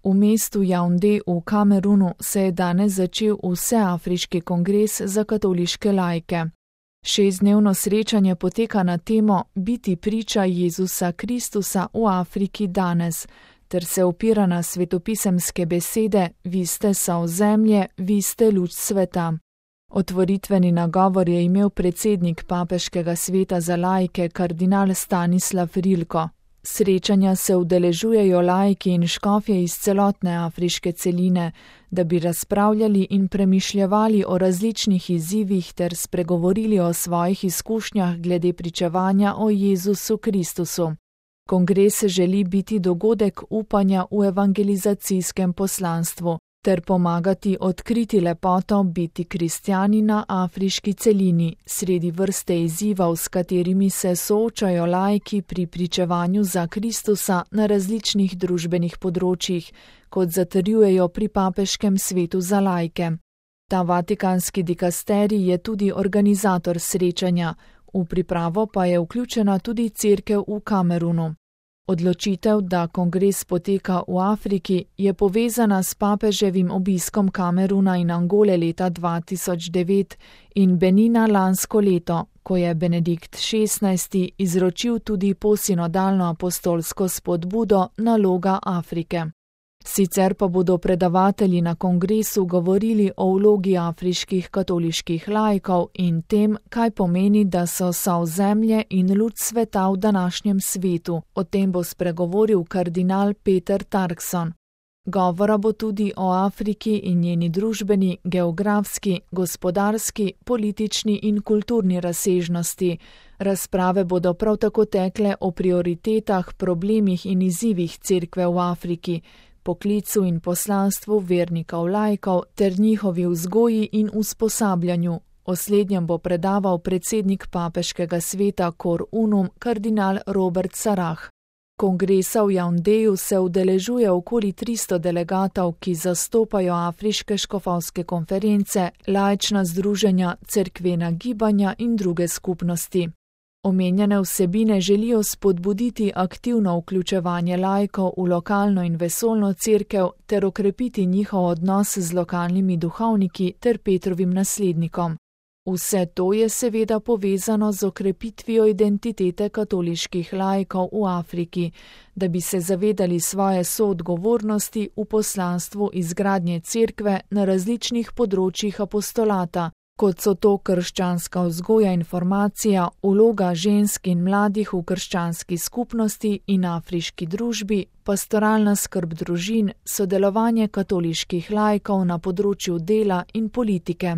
V mestu Jaunde v Kamerunu se je danes začel vseafriški kongres za katoliške laike. 6-dnevno srečanje poteka na temo Biti priča Jezusa Kristusa v Afriki danes, ter se opira na svetopisemske besede Vi ste sol zemlje, vi ste luč sveta. Otvoritveni nagovor je imel predsednik papeškega sveta za laike kardinal Stanislav Rilko. Srečanja se udeležujejo laiki in škofje iz celotne afriške celine, da bi razpravljali in premišljevali o različnih izzivih ter spregovorili o svojih izkušnjah glede pričevanja o Jezusu Kristusu. Kongres želi biti dogodek upanja v evangelizacijskem poslanstvu ter pomagati odkriti lepoto biti kristjani na afriški celini, sredi vrste izzivov, s katerimi se soočajo laiki pri pričevanju za Kristusa na različnih družbenih področjih, kot zatrjujejo pri papeškem svetu za laike. Ta vatikanski dikasterij je tudi organizator srečanja, v pripravo pa je vključena tudi cerkev v Kamerunu. Odločitev, da kongres poteka v Afriki, je povezana s papeževim obiskom Kameruna in Angole leta 2009 in Benina lansko leto, ko je Benedikt XVI izročil tudi posinodalno apostolsko spodbudo Naloga Afrike. Sicer pa bodo predavatelji na kongresu govorili o vlogi afriških katoliških laikov in tem, kaj pomeni, da so sol zemlje in luč sveta v današnjem svetu. O tem bo spregovoril kardinal Peter Turkson. Govora bo tudi o Afriki in njeni družbeni, geografski, gospodarski, politični in kulturni razsežnosti. Razprave bodo prav tako tekle o prioritetah, problemih in izzivih cerkve v Afriki, poklicu in poslanstvu vernikov laikov ter njihovi vzgoji in usposabljanju. O slednjem bo predaval predsednik papeškega sveta Cor Unum kardinal Robert Sarah. Kongresa v Jaundeju se udeležuje okoli 300 delegatov, ki zastopajo afriške škofovske konference, laična združenja, cerkvena gibanja in druge skupnosti. Omenjene vsebine želijo spodbuditi aktivno vključevanje laikov v lokalno in vesoljno cerkev ter okrepiti njihov odnos z lokalnimi duhovniki ter Petrovim naslednikom. Vse to je seveda povezano z okrepitvijo identitete katoliških laikov v Afriki, da bi se zavedali svoje soodgovornosti v poslanstvu izgradnje cerkve na različnih področjih apostolata, kot so to krščanska vzgoja in formacija, vloga žensk in mladih v krščanski skupnosti in afriški družbi, pastoralna skrb družin, sodelovanje katoliških laikov na področju dela in politike.